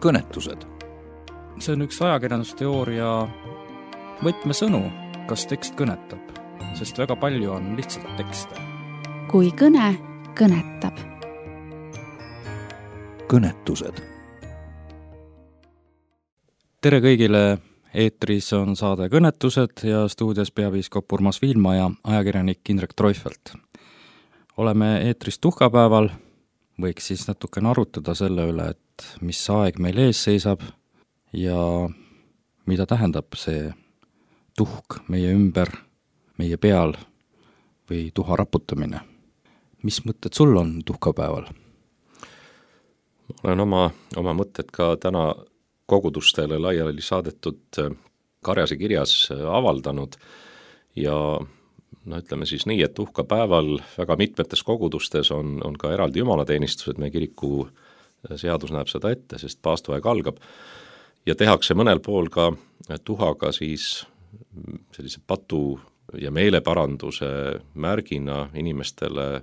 kõnetused. See on üks ajakirjandusteooria võtmesõnu, kas tekst kõnetab, sest väga palju on lihtsalt tekste. Kui kõne kõnetab. Kõnetused. Tere kõigile, eetris on saade Kõnetused ja stuudios peapiiskop Urmas Viilma ja ajakirjanik Indrek Treufelt. Oleme eetris tuhkapäeval, võiks siis natukene arutada selle üle, et mis aeg meil ees seisab ja mida tähendab see tuhk meie ümber, meie peal või tuha raputamine. Mis mõtted sul on tuhkapäeval? Olen oma mõtted ka täna kogudustele laiali saadetud Karjase kirjas avaldanud ja ütleme siis nii, et tuhkapäeval väga mitmetes kogudustes on ka eraldi jumalateenistused, meie kiriku seadus näeb seda ette, sest paastuaeg algab ja tehakse mõnel pool ka tuhaga siis sellise patu ja meeleparanduse märgina inimestele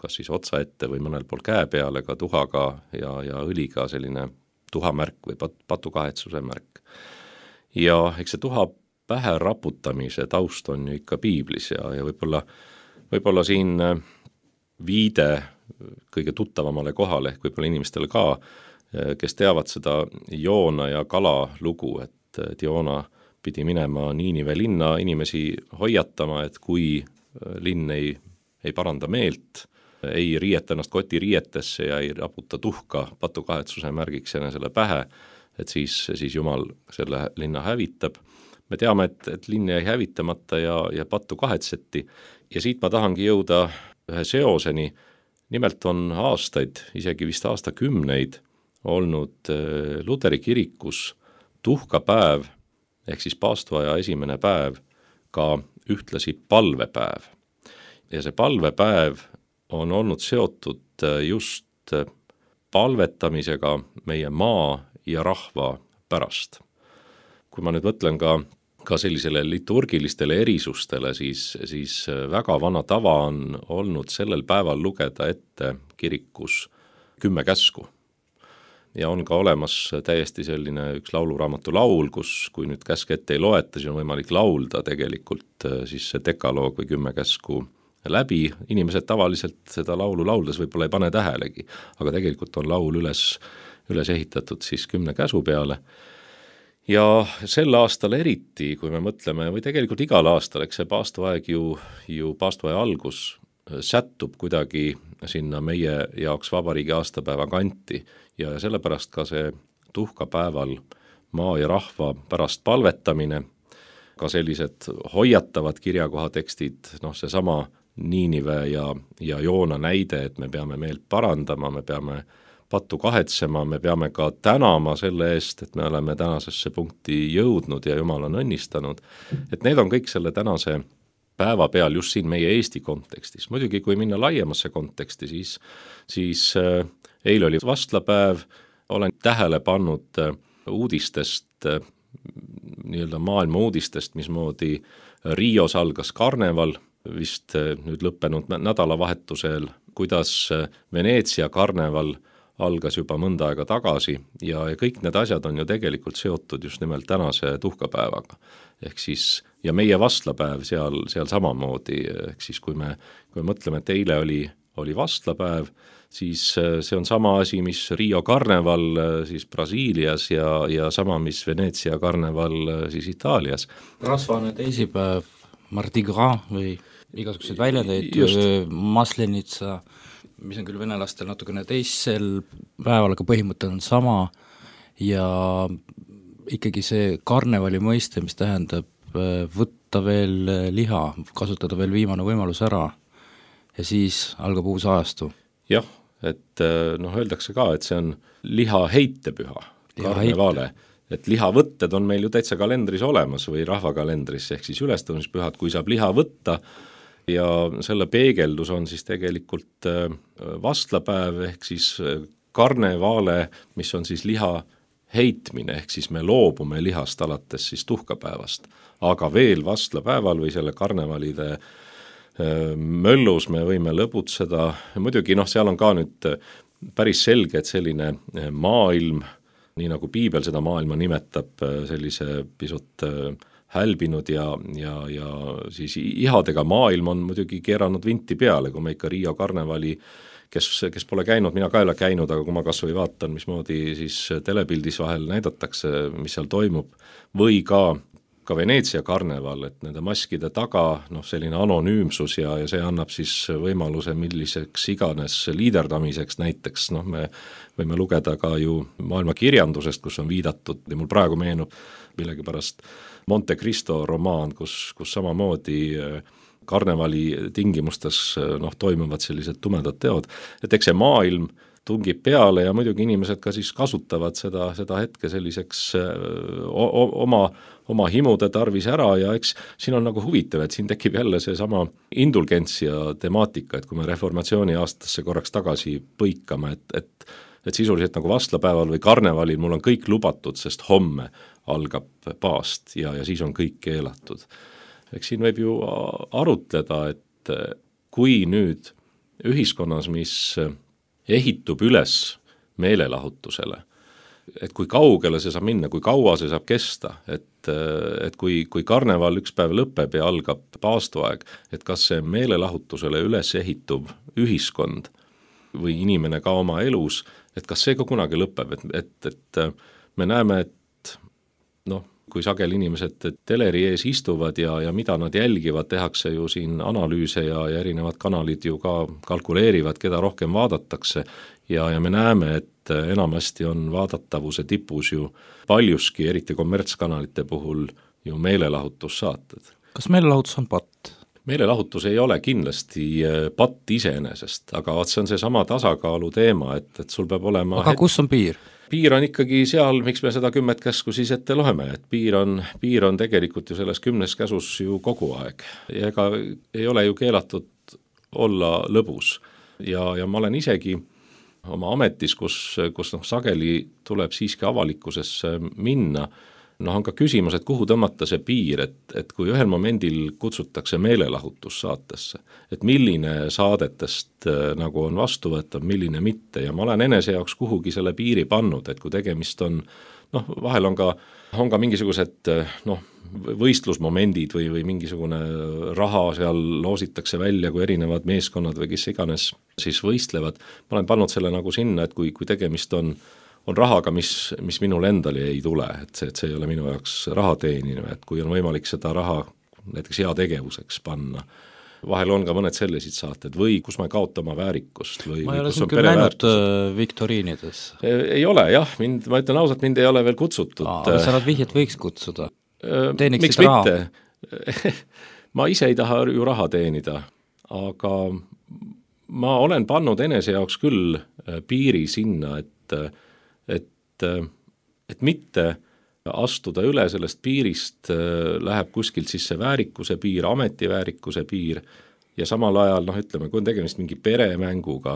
kas siis otsa ette või mõnel pool käe peale ka tuhaga ja õliga selline tuhamärk või patukahetsuse märk. Ja eks see tuha pähe raputamise taust on ju ikka piiblis ja võib-olla siin viide kõige tuttavamale kohale, ehk võib-olla inimestele ka, kes teavad seda Joona ja kala lugu, et Joona pidi minema Niinive linna inimesi hoiatama, et kui linn ei paranda meelt, ei riieta ennast kotiriietesse ja ei raputa tuhka patukahetsuse märgiks enesele pähe, et siis Jumal selle linna hävitab. Me teame, et linn jäi hävitamata ja pattu kahetseti ja siit ma tahangi jõuda ühe seoseni. Nimelt on aastaid, isegi vist aastakümneid olnud Luteri kirikus tuhkapäev ehk siis paastuaja esimene päev ka ühtlasi palvepäev. Ja see palvepäev on olnud seotud just palvetamisega meie maa ja rahva pärast. Kui ma nüüd mõtlen ka sellisele liturgilistele erisustele, siis väga vana tava on olnud sellel päeval lugeda ette kirikus 10 käsku. Ja on ka olemas täiesti selline üks lauluraamatu laul, kui nüüd käsk ette ei loeta, siis on võimalik laulda tegelikult siis see dekaloog või 10 käsku läbi. Inimesed tavaliselt seda laulu lauldes võib-olla ei pane tähelegi, aga tegelikult on laul üles ehitatud siis 10 käsu peale. Ja sel aastal eriti, kui me mõtleme, või tegelikult igal aastal, eks see paastuaeg ju paastuaja algus sättub kuidagi sinna meie jaoks vabariigi aastapäeva kanti ja sellepärast ka see tuhkapäeval maa ja rahva pärast palvetamine, ka sellised hoiatavad kirjakohatekstid, seesama Niinive ja Joona näide, et me peame meelt parandama, me peame pattu kahetsema, me peame ka tänama selle eest, et me oleme tänasesse punkti jõudnud ja Jumal on õnnistanud. Et need on kõik selle tänase päeva peal just siin meie Eesti kontekstis. Muidugi, kui minna laiemasse konteksti, siis eile oli vastlapäev, olen tähele pannud uudistest, nii-öelda maailma uudistest, mismoodi Rios algas karneval, vist nüüd lõppenud nädalavahetusel, kuidas Veneetsia karneval algas juba mõnda aega tagasi ja kõik need asjad on ju tegelikult seotud just nimelt tänase tuhkapäevaga. Ehk siis, ja meie vastlapäev seal samamoodi, ehk siis kui me mõtleme, et eile oli vastlapäev, siis see on sama asi, mis Rio karneval siis Brasiilias ja sama, mis Veneetsia karneval siis Itaalias. Rasvane teisipäev, Mardi Gras või igasuguseid väljateid, Maslenitsa, mis on küll venelastel natukene teisel päeval, aga põhimõte on sama ja ikkagi see karnevali mõiste, mis tähendab võtta veel liha, kasutada veel viimane võimalus ära ja siis algab uus ajastu. Jah, et öeldakse ka, et see on liha heitepüha, karnevale, et lihavõtted on meil ju täitsa kalendris olemas või rahvakalendris, ehk siis ülestõusmispühad, kui saab liha võtta ja selle peegeldus on siis tegelikult vastlapäev ehk siis karnevale, mis on siis liha heitmine, ehk siis me loobume lihast alates siis tuhkapäevast, aga veel vastlapäeval või selle karnevalide möllus me võime lõbutseda, muidugi seal on ka nüüd päris selge, et selline maailm nii nagu piibel seda maailma nimetab, sellise pisut hälbinud ja siis ihadega maailm on muidugi keeranud vinti peale, kui me ikka Rio karnevali, kes pole käinud, mina ka ei ole käinud, aga kui ma kas või vaatan, mismoodi siis telepildis vahel näidatakse, mis seal toimub, või ka Veneetsia karneval, et nende maskide taga selline anonüümsus ja see annab siis võimaluse milliseks iganes liiderdamiseks, näiteks me võime lugeda ka ju maailma kirjandusest, kus on viidatud, ja mul praegu meenub millegipärast Monte Cristo romaan, kus samamoodi karnevali tingimustes toimuvad sellised tumedad teod, et eks see maailm tungib peale ja muidugi inimesed ka siis kasutavad seda hetke selliseks oma himude tarvis ära ja eks siin on nagu huvitav, et siin tekib jälle seesama indulgentsia temaatika, et kui me reformatsiooni aastasse korraks tagasi põikame, et sisuliselt nagu vastlapäeval või karnevalil mul on kõik lubatud, sest homme algab paast ja siis on kõik keelatud. Eks siin võib ju arutleda, et kui nüüd ühiskonnas, mis ehitub üles meelelahutusele, et kui kaugele see saab minna, kui kaua see saab kesta, et kui karneval üks päev lõpeb ja algab paastuaeg, et kas see meelelahutusele üles ehitub ühiskond või inimene ka oma elus, et kas see ka kunagi lõpeb, et me näeme, et kui sageli inimesed teleri ees istuvad ja mida nad jälgivad, tehakse ju siin analüüse ja erinevad kanalid ju ka kalkuleerivad, keda rohkem vaadatakse ja me näeme, et enamasti on vaadatavuse tipus ju paljuski, eriti kommertskanalite puhul, ju meelelahutussaated. Kas meelelahutus on patt? Meelelahutus ei ole kindlasti patt iseenesest, aga see on seesama tasakaalu teema, et sul peab olema... Aga kus on piir? Piir on ikkagi seal, miks me seda 10 käsku siis ette loeme, et piir on tegelikult ju selles 10 käsus ju kogu aeg ja ega ei ole ju keelatud olla lõbus ja ma olen isegi oma ametis, kus sageli tuleb siiski avalikkusesse minna, on ka küsimus, et kuhu tõmmata see piir, et kui ühel momendil kutsutakse meelelahutussaatesse, et milline saadetest nagu on vastuvõetav, milline mitte ja ma olen enese jaoks kuhugi selle piiri pannud, et kui tegemist on, vahel on ka mingisugused võistlusmomendid või mingisugune raha seal loositakse välja, kui erinevad meeskonnad või kes iganes siis võistlevad, ma olen pannud selle nagu sinna, et kui tegemist on rahaga, mis minul endale ei tule, et see ei ole minu jaoks raha teenimine, et kui on võimalik seda raha näiteks heategevuseks panna, vahel on ka mõned sellised saated või kus ma ei kaota oma väärikust või ma ei ole kus siin küll näinud viktoriinides. Ei ole jah, ma ütlen ausalt, mind ei ole veel kutsutud. Sa nad vihjet võiks kutsuda? Miks mitte? Ma ise ei taha ju raha teenida, aga ma olen pannud enese jaoks küll piiri sinna, et mitte astuda üle sellest piirist, läheb kuskilt siis see väärikuse piir, ametiväärikuse piir ja samal ajal, ütleme, kui on tegemist mingi peremänguga,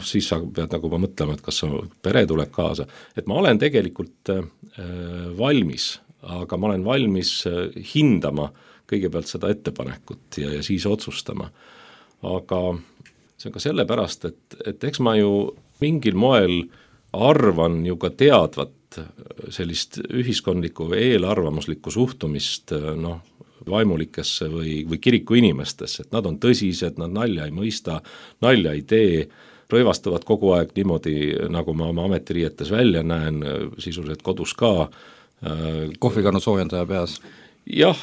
siis sa pead nagu mõtlema, et kas pere tuleb kaasa. Et ma olen tegelikult valmis, aga ma olen valmis hindama kõigepealt seda ettepanekut ja siis otsustama. Aga see on ka sellepärast, et eks ma ju mingil moel arvan ju ka teadvat sellist ühiskondlikku eelarvamuslikku suhtumist vaimulikesse või kiriku inimestesse, et nad on tõsised, nad nalja ei mõista, nalja ei tee, rõivastavad kogu aeg niimoodi, nagu ma oma ametiriietes välja näen, sisuliselt kodus ka. Kohvikannu soojendaja peas. Jah,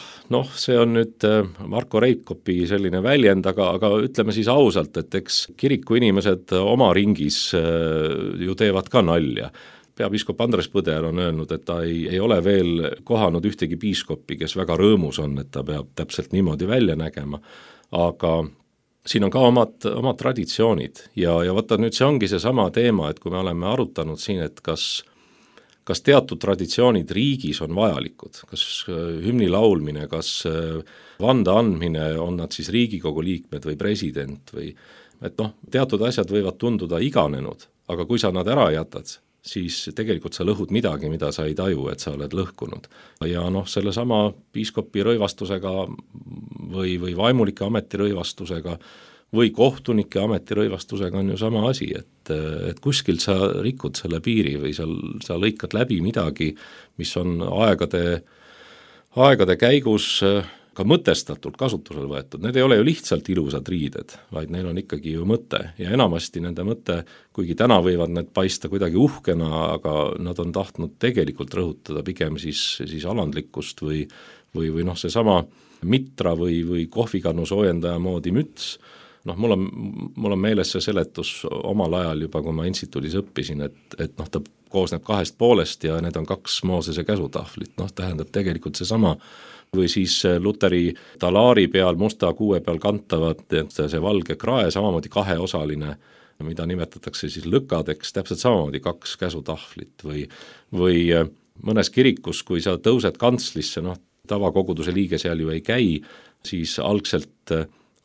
see on nüüd Marko Reikopi selline väljend, aga ütleme siis ausalt, et eks kiriku inimesed oma ringis ju teevad ka nalja. Peapiiskop Andres Põder on öelnud, et ta ei ole veel kohanud ühtegi piiskopi, kes väga rõõmus on, et ta peab täpselt niimoodi välja nägema, aga siin on ka omad traditsioonid ja võtta nüüd see ongi seesama teema, et kui me oleme arutanud siin, et kas teatud traditsioonid riigis on vajalikud, kas hümni laulmine, kas vande andmine, on nad siis Riigikogu liikmed või president või et teatud asjad võivad tunduda iganenud, aga kui sa nad ära jätad, siis tegelikult sa lõhud midagi, mida sa ei taju, et sa oled lõhkunud. Ja sellesama piiskopi rõivastusega või vaimulike ameti rõivastusega või kohtunike ametirõivastusega on ju sama asi, et kuskilt sa rikud selle piiri või sa lõikad läbi midagi, mis on aegade käigus ka mõtestatult kasutusele võetud. Need ei ole ju lihtsalt ilusad riided, vaid neil on ikkagi ju mõte ja enamasti nende mõte, kuigi täna võivad need paista kuidagi uhkena, aga nad on tahtnud tegelikult rõhutada pigem siis alandlikkust või seesama mitra või kohvikannu soojendaja moodi müts. Mul on meeles see seletus omal ajal juba, kui ma instituudis õppisin, et ta koosneb 2 poolest ja need on 2 Moosese käsutahvlit, tähendab tegelikult seesama, või siis luteri talaari peal, musta kuue peal kantavad, see valge krae, samamoodi 2-osaline, mida nimetatakse siis lükadeks, täpselt samamoodi 2 käsutahvlit või mõnes kirikus, kui sa tõused kantslisse, tavakoguduse liige seal ju ei käi, siis algselt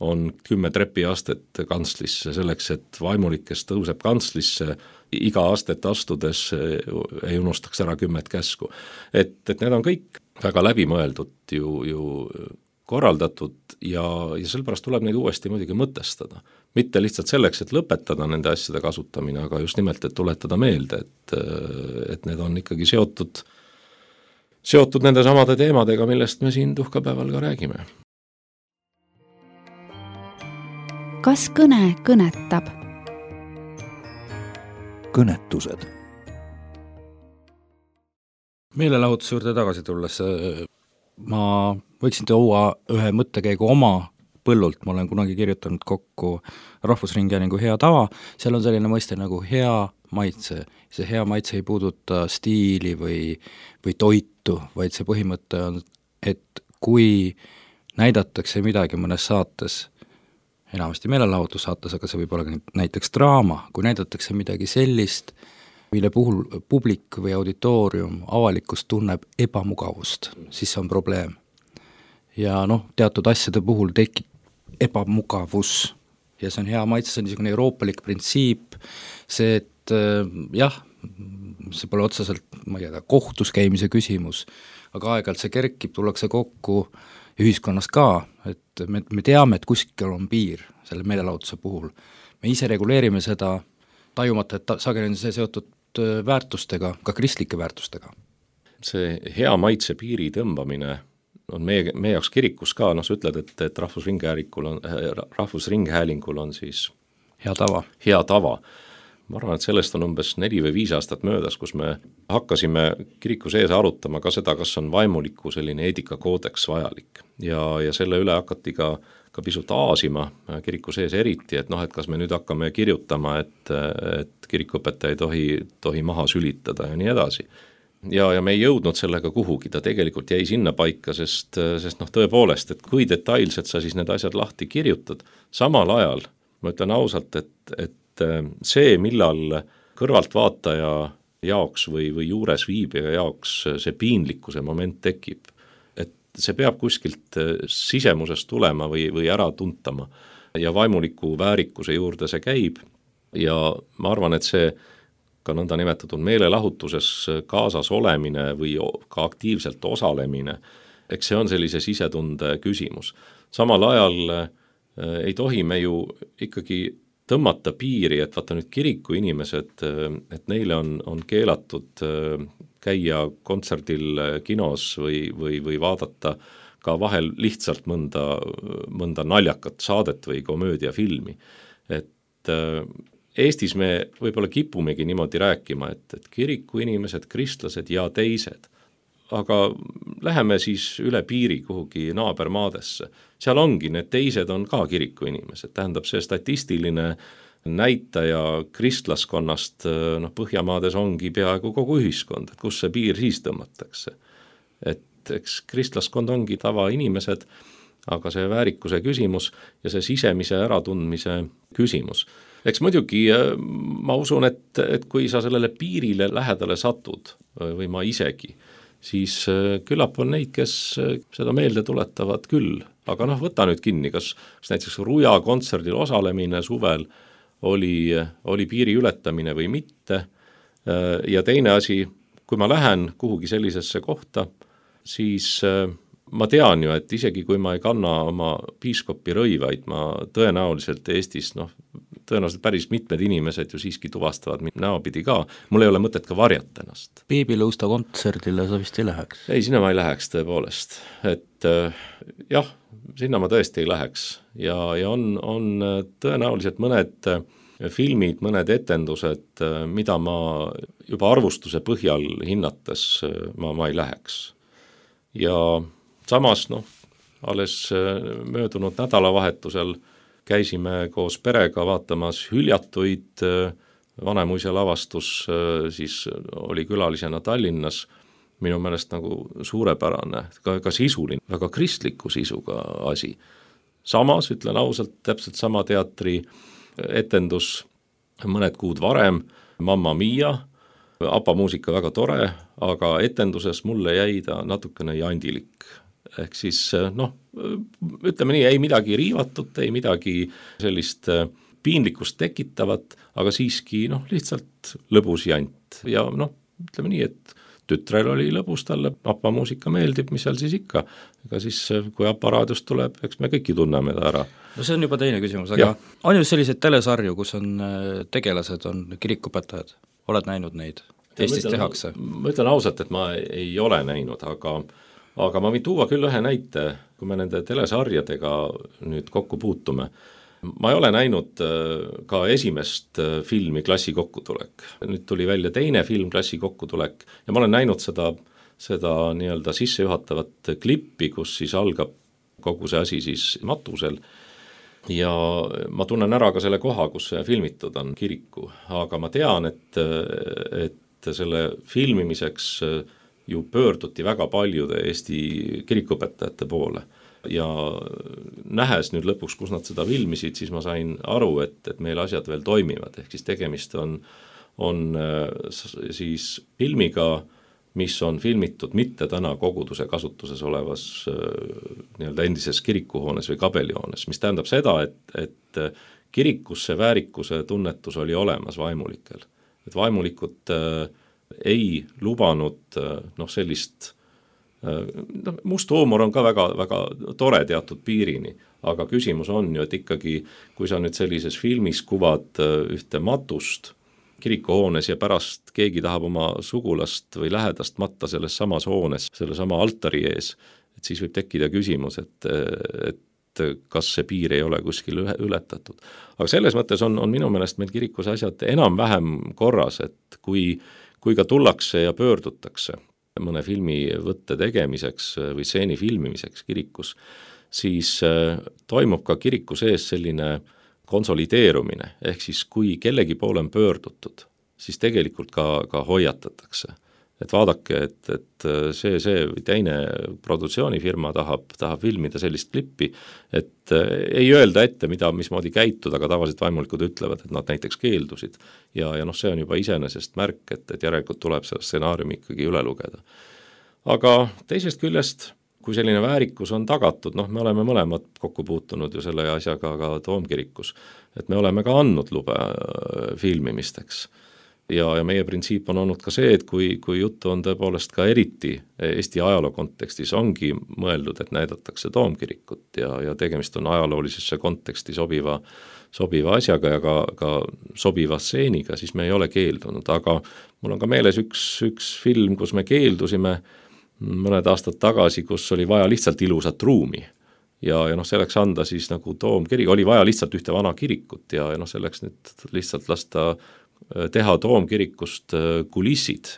on 10 trepiastet kantslisse selleks, et vaimulik, kes tõuseb kantslisse, iga astet astudes ei unustaks ära 10 käsku. Et need on kõik väga läbimõeldud ju korraldatud ja sellepärast tuleb neid uuesti muidugi mõtestada. Mitte lihtsalt selleks, et lõpetada nende asjade kasutamine, aga just nimelt, et tuletada meelde, et need on ikkagi seotud nende samade teemadega, millest me siin tuhkapäeval ka räägime. Kas kõne kõnetab? Kõnetused. Meelelahutuse juurde tagasi tulles ma võiksin tuua ühe mõttekäigu oma põllult, ma olen kunagi kirjutanud kokku Rahvusringhäälingu hea tava, seal on selline mõiste nagu hea maitse. See hea maitse ei puuduta stiili või toitu, vaid see põhimõte on, et kui näidatakse midagi mõnes saates, enamasti meelelahutussaates, aga see võib olla näiteks draama, kui näidatakse midagi sellist, mille puhul publik või auditoorium, avalikkus tunneb ebamugavust, siis see on probleem. Ja teatud asjade puhul tekib ebamugavus ja see on hea maitse, see on niisugune euroopalik printsiip, see, et jah, see pole otseselt, ma ei tea, kohtus käimise küsimus, aga aeg-ajalt see kerkib, tullakse kokku ühiskonnas ka, et me teame, et kuskil on piir selle meelelahutuse puhul. Me ise reguleerime seda tajumata, et sageli on see seotud väärtustega, ka kristlike väärtustega. See hea maitse piiri tõmbamine on meie jaoks kirikus ka, sa ütled, et Rahvusringhäälingul on siis hea tava. Hea tava. Ma arvan, et sellest on umbes 4 või 5 aastat möödas, kus me hakkasime kiriku sees arutama ka seda, kas on vaimuliku selline eetikakoodeks vajalik. Ja selle üle hakati ka pisut aasima kiriku sees eriti, et kas me nüüd hakkame kirjutama, et kirikuõpetaja ei tohi maha sülitada ja nii edasi. Ja me ei jõudnud sellega kuhugi, ta tegelikult jäi sinna paika, sest tõepoolest, et kui detailselt sa siis need asjad lahti kirjutad, samal ajal, ma ütlen ausalt, et see, millal kõrvaltvaataja jaoks või juures viibija jaoks see piinlikkuse moment tekib, et see peab kuskilt sisemusest tulema või ära tuntama ja vaimuliku väärikuse juurde see käib ja ma arvan, et see ka nõnda nimetatud meelelahutuses kaasas olemine või ka aktiivselt osalemine, eks see on sellise sisetunde küsimus. Samal ajal ei tohi me ju ikkagi tõmmata piiri, et vaata nüüd kiriku inimesed, et neile on keelatud käia kontserdil kinos või vaadata ka vahel lihtsalt mõnda naljakat saadet või komöödiafilmi. Et Eestis me võib-olla kipumegi niimoodi rääkima, et kiriku inimesed, kristlased ja teised, aga läheme siis üle piiri kuhugi naabermaadesse. Seal ongi, need teised on ka kiriku inimesed, tähendab see statistiline näitaja kristlaskonnast, Põhjamaades ongi peaaegu kogu ühiskond, et kus see piir siis tõmmatakse. Et eks kristlaskond ongi tavainimesed, aga see väärikuse küsimus ja see sisemise äratundmise küsimus. Eks muidugi ma usun, et kui sa sellele piirile lähedale satud või ma isegi, siis küllap on neid, kes seda meelde tuletavad küll. Aga võta nüüd kinni, kas näiteks Ruja kontserdil osalemine suvel oli piiri ületamine või mitte. Ja teine asi, kui ma lähen kuhugi sellisesse kohta, siis ma tean ju, et isegi kui ma ei kanna oma piiskopi rõivaid, ma tõenäoliselt Eestis, tõenäoliselt päris mitmed inimesed ju siiski tuvastavad mind näopidi ka, mul ei ole mõtet ka varjata ennast. Beebilõusta kontserdile sa vist ei läheks? Ei, sinna ma ei läheks tõepoolest, et jah, sinna ma tõesti ei läheks ja on tõenäoliselt mõned filmid, mõned etendused, mida ma juba arvustuse põhjal hinnates ma ei läheks. Ja samas, alles möödunud nädalavahetusel käisime koos perega vaatamas Hüljatuid, Vanemuise lavastus siis oli külalisena Tallinnas, minu meelest nagu suurepärane, ka sisuline, väga kristliku sisuga asi. Samas, ütlen ausalt, täpselt sama teatri etendus mõned kuud varem, Mamma Mia, ABBA muusika väga tore, aga etenduses mulle jäi ta natukene jandilik. Ehk siis, ütleme nii, ei midagi riivatut, ei midagi sellist piinlikkust tekitavat, aga siiski lihtsalt lõbus jant. Ja ütleme nii, et tütrel oli lõbus, talle ABBA muusika meeldib, mis seal siis ikka. Ega siis, kui ABBA raadiust tuleb, eks me kõiki tunneme ta ära. No see on juba teine küsimus, aga on ju selliseid telesarju, kus on tegelased, on kirikupõtajad, oled näinud neid? Eestis tehakse? Ma ütlen ausalt, et ma ei ole näinud, aga ma võin tuua küll ühe näite, kui me nende telesarjadega nüüd kokku puutume. Ma ei ole näinud ka esimest filmi Klassi kokkutulek. Nüüd tuli välja teine film Klassi kokkutulek ja ma olen näinud seda nii-öelda sissejuhatavat klippi, kus siis algab kogu see asi siis matusel ja ma tunnen ära ka selle koha, kus see filmitud on, kiriku, aga ma tean, et selle filmimiseks ju pöörduti väga paljude Eesti kirikuõpetajate poole ja nähes nüüd lõpuks, kus nad seda filmisid, siis ma sain aru, et meil asjad veel toimivad, ehk siis tegemist on siis filmiga, mis on filmitud mitte täna koguduse kasutuses olevas nii-öelda endises kirikuhoones või kabelihoones, mis tähendab seda, et kirikus see väärikuse tunnetus oli olemas vaimulikel. Et vaimulikud ei lubanud sellist must huumor on ka väga, väga tore teatud piirini, aga küsimus on ju, et ikkagi, kui sa nüüd sellises filmis kuvad ühte matust kirikuhoones ja pärast keegi tahab oma sugulast või lähedast matta selles samas hoones, selle sama altari ees, et siis võib tekkida küsimus, et kas see piir ei ole kuskil ületatud. Aga selles mõttes on minu meelest meil kirikus asjad enam-vähem korras, et kui ka tullakse ja pöördutakse mõne filmi võtte tegemiseks või stseeni filmimiseks kirikus, siis toimub ka kiriku sees selline konsolideerumine, ehk siis kui kellegi poole on pöördutud, siis tegelikult ka hoiatatakse. Et vaadake, et see või teine produktsioonifirma tahab filmida sellist klippi, et ei öelda ette, mismoodi käituda, aga tavaliselt vaimulikud ütlevad, et nad näiteks keeldusid. Ja see on juba iseenesest märk, et järelikult tuleb see stsenaariumi ikkagi üle lugeda. Aga teisest küljest, kui selline väärikus on tagatud, me oleme mõlemad kokku puutunud ju selle asjaga ka Toomkirikus, et me oleme ka andnud lube filmimisteks. Ja meie printsiip on olnud ka see, et kui juttu on tõepoolest ka eriti Eesti ajaloo kontekstis ongi mõeldud, et näidatakse Toomkirikut ja tegemist on ajaloolisesse konteksti sobiva asjaga ja ka sobiva stseeniga, siis me ei ole keeldunud, aga mul on ka meeles üks film, kus me keeldusime mõned aastad tagasi, kus oli vaja lihtsalt ilusat ruumi ja selleks anda siis nagu Toomkirik, oli vaja lihtsalt ühte vana kirikut ja selleks nüüd lihtsalt lasta teha Toomkirikust kulissid.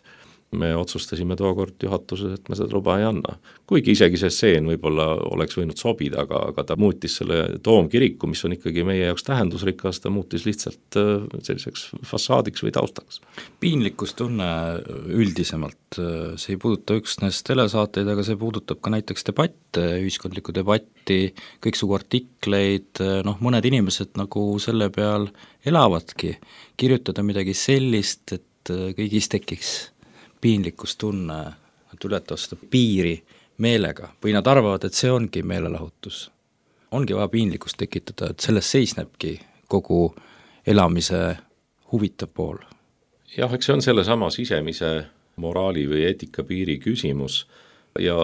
Me otsustasime tookord juhatuses, et me seda luba ei anna. Kuigi isegi see stseen võib-olla oleks võinud sobida, aga ta muutis selle Toomkiriku, mis on ikkagi meie jaoks tähendusrikas, ta muutis lihtsalt selliseks fassaadiks või taustaks. Piinlikkustunne üldisemalt, see ei puuduta üksnes telesaateid, aga see puudutab ka näiteks debatte, ühiskondlikku debatti, kõiksugu artikleid, mõned inimesed nagu selle peal elavadki, kirjutada midagi sellist, et kõigis tekiks piinlikkustunne, et ületavad seda piiri meelega või nad arvavad, et see ongi meelelahutus. Ongi vaja piinlikkust tekitada, et selles seisnebki kogu elamise huvitav pool. Jah, eks see on selle sama sisemise moraali või eetikapiiri küsimus, ja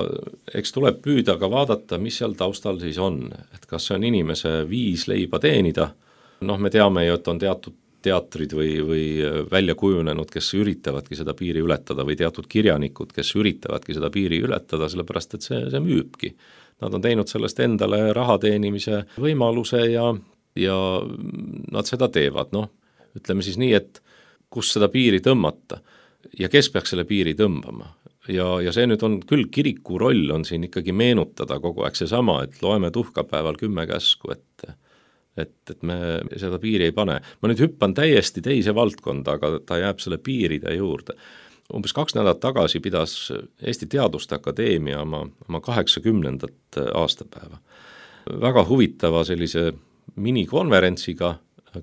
eks tuleb püüda ka vaadata, mis seal taustal siis on, et kas see on inimese viis leiba teenida, me teame ju, et on teatud teatrid või välja kujunenud, kes üritavadki seda piiri ületada või teatud kirjanikud, kes üritavadki seda piiri ületada, sellepärast et see müübki. Nad on teinud sellest endale raha teenimise võimaluse ja nad seda teevad, ütleme siis nii, et kus seda piiri tõmmata ja kes peaks selle piiri tõmbama. Ja see nüüd on küll, kiriku roll on siin ikkagi meenutada kogu aeg seesama, et loeme tuhkapäeval 10 käsku, et me seda piiri ei pane. Ma nüüd hüppan täiesti teise valdkonda, aga ta jääb selle piiride juurde. Umbes 2 nädalat tagasi pidas Eesti Teaduste Akadeemia oma 80. aastapäeva. Väga huvitava sellise minikonverentsiga,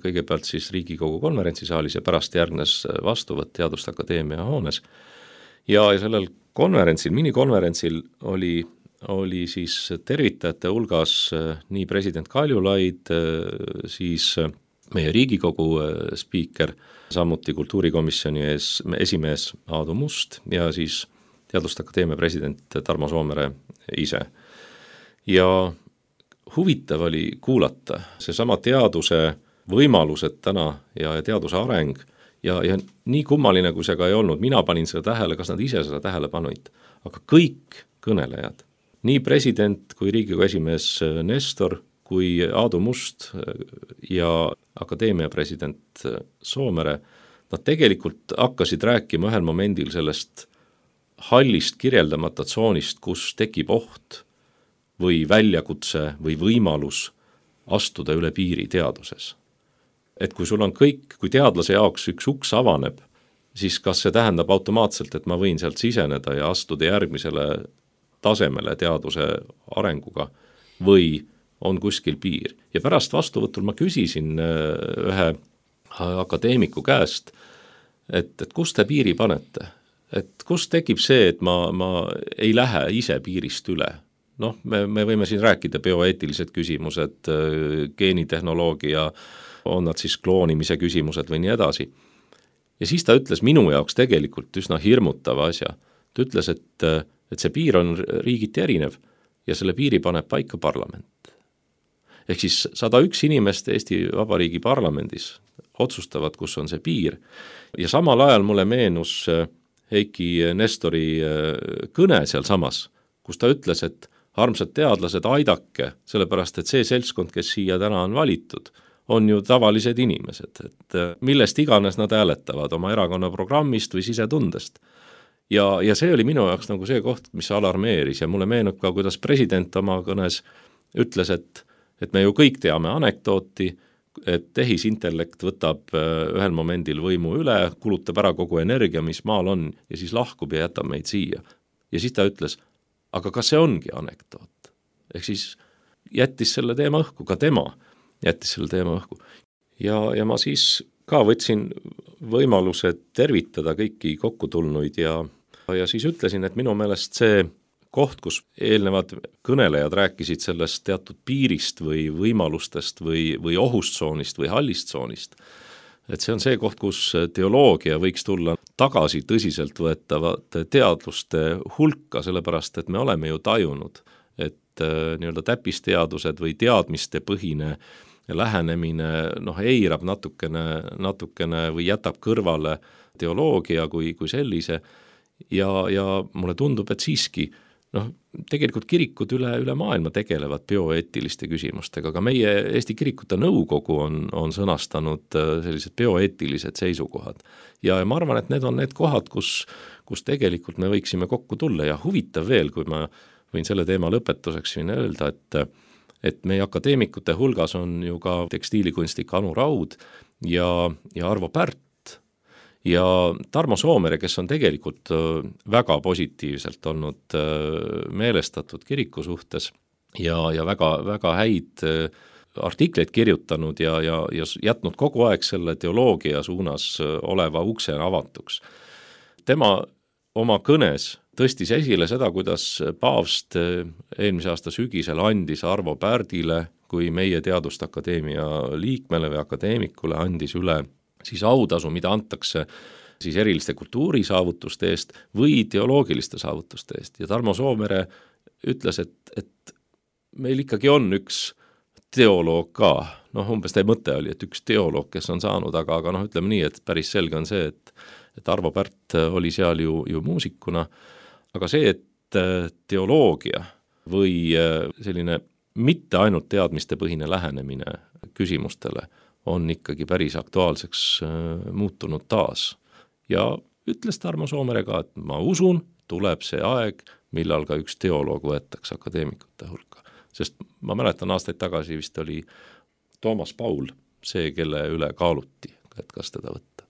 kõigepealt siis Riigikogu konverentsisaalis ja pärast järgnes vastuvõtt Teaduste Akadeemia hoones. Ja sellel konverentsil, minikonverentsil oli siis tervitajate hulgas nii president Kaljulaid, siis meie Riigikogu spiiker, samuti kultuurikomisjoni esimees Aadu Must ja siis Teaduste Akadeemia president Tarmo Soomere ise. Ja huvitav oli kuulata seesama teaduse võimalused täna ja teaduse areng ja nii kummaline, kui see ka ei olnud, mina panin seda tähele, kas nad ise seda tähele panuid, aga kõik kõnelejad, nii president kui Riigikogu esimees Nestor, kui Aadu Must ja akadeemia president Soomere, nad tegelikult hakkasid rääkima ühel momendil sellest hallist kirjeldamata tsoonist, kus tekib oht või väljakutse või võimalus astuda üle piiri teaduses. Et kui sul on kõik, kui teadlase jaoks üks uks avaneb, siis kas see tähendab automaatselt, et ma võin sealt siseneda ja astuda järgmisele tasemele teaduse arenguga või on kuskil piir. Ja pärast vastuvõtul ma küsisin ühe akadeemiku käest, et kus te piiri panete? Et kus tekib see, et ma ei lähe ise piirist üle? Me võime siin rääkida bioeetilised küsimused, geenitehnoloogia, on nad siis kloonimise küsimused või nii edasi. Ja siis ta ütles minu jaoks tegelikult üsna hirmutava asja. Ta ütles, et see piir on riigiti erinev ja selle piiri paneb paika parlament. Ehk siis 101 inimest Eesti Vabariigi parlamendis otsustavad, kus on see piir. Ja samal ajal mulle meenus Heiki Nestori kõne seal samas, kus ta ütles, et armsad teadlased, aidake, sellepärast et see seltskond, kes siia täna on valitud, on ju tavalised inimesed, et millest iganes nad hääletavad oma erakonna programmist või sisetundest. Ja see oli minu jaoks nagu see koht, mis alarmeeris ja mulle meenub ka, kuidas president oma kõnes ütles, et me ju kõik teame anekdooti, et tehisintellekt võtab ühel momendil võimu üle, kulutab ära kogu energia, mis maal on ja siis lahkub ja jätab meid siia. Ja siis ta ütles, aga kas see ongi anekdoot? Ehk siis jättis selle teema õhku, ka tema jättis selle teema õhku. Ja ma siis ka võtsin võimaluse tervitada kõiki kokkutulnuid ja siis ütlesin, et minu meelest see koht, kus eelnevad kõnelejad rääkisid sellest teatud piirist või võimalustest või ohustsoonist või hallistsoonist, et see on see koht, kus teoloogia võiks tulla tagasi tõsiselt võetavate teadluste hulka, sellepärast et me oleme ju tajunud, et nii-öelda täppisteadused või teadmiste põhine lähenemine eirab natukene või jätab kõrvale teoloogia kui sellise ja mulle tundub, et siiski tegelikult kirikud üle maailma tegelevad bioeetiliste küsimustega, aga meie Eesti Kirikute Nõukogu on sõnastanud sellised bioeetilised seisukohad ja ma arvan, et need on need kohad, kus tegelikult me võiksime kokku tulla ja huvitav veel, kui ma võin selle teema lõpetuseks siin öelda, et meie akadeemikute hulgas on ju ka tekstiilikunstnik Anu Raud ja Arvo Pärt ja Tarmo Soomere, kes on tegelikult väga positiivselt olnud meelestatud kiriku suhtes ja väga häid artikleid kirjutanud ja jätnud kogu aeg selle teoloogia suunas oleva ukse avatuks. Tema oma kõnes tõstis esile seda, kuidas paavst eelmise aasta sügisel andis Arvo Pärdile kui meie Teaduste Akadeemia liikmele või akadeemikule andis üle siis autasu, mida antakse siis eriliste kultuurisaavutuste eest või ideoloogiliste saavutuste eest. Ja Tarmo Soomere ütles, et meil ikkagi on üks teoloog ka, umbes teie mõte oli, et üks teoloog, kes on saanud, aga ütleme nii, et päris selge on see, et Arvo Pärt oli seal ju muusikuna, aga see, et teoloogia või selline mitte ainult teadmistepõhine lähenemine küsimustele on ikkagi päris aktuaalseks muutunud taas. Ja ütles Tarmo Soomere ka, et ma usun, tuleb see aeg, millal ka üks teoloog võetakse akadeemikute hulka. Sest ma mäletan aastaid tagasi vist oli Toomas Paul see, kelle üle kaaluti, et kas teda võtta.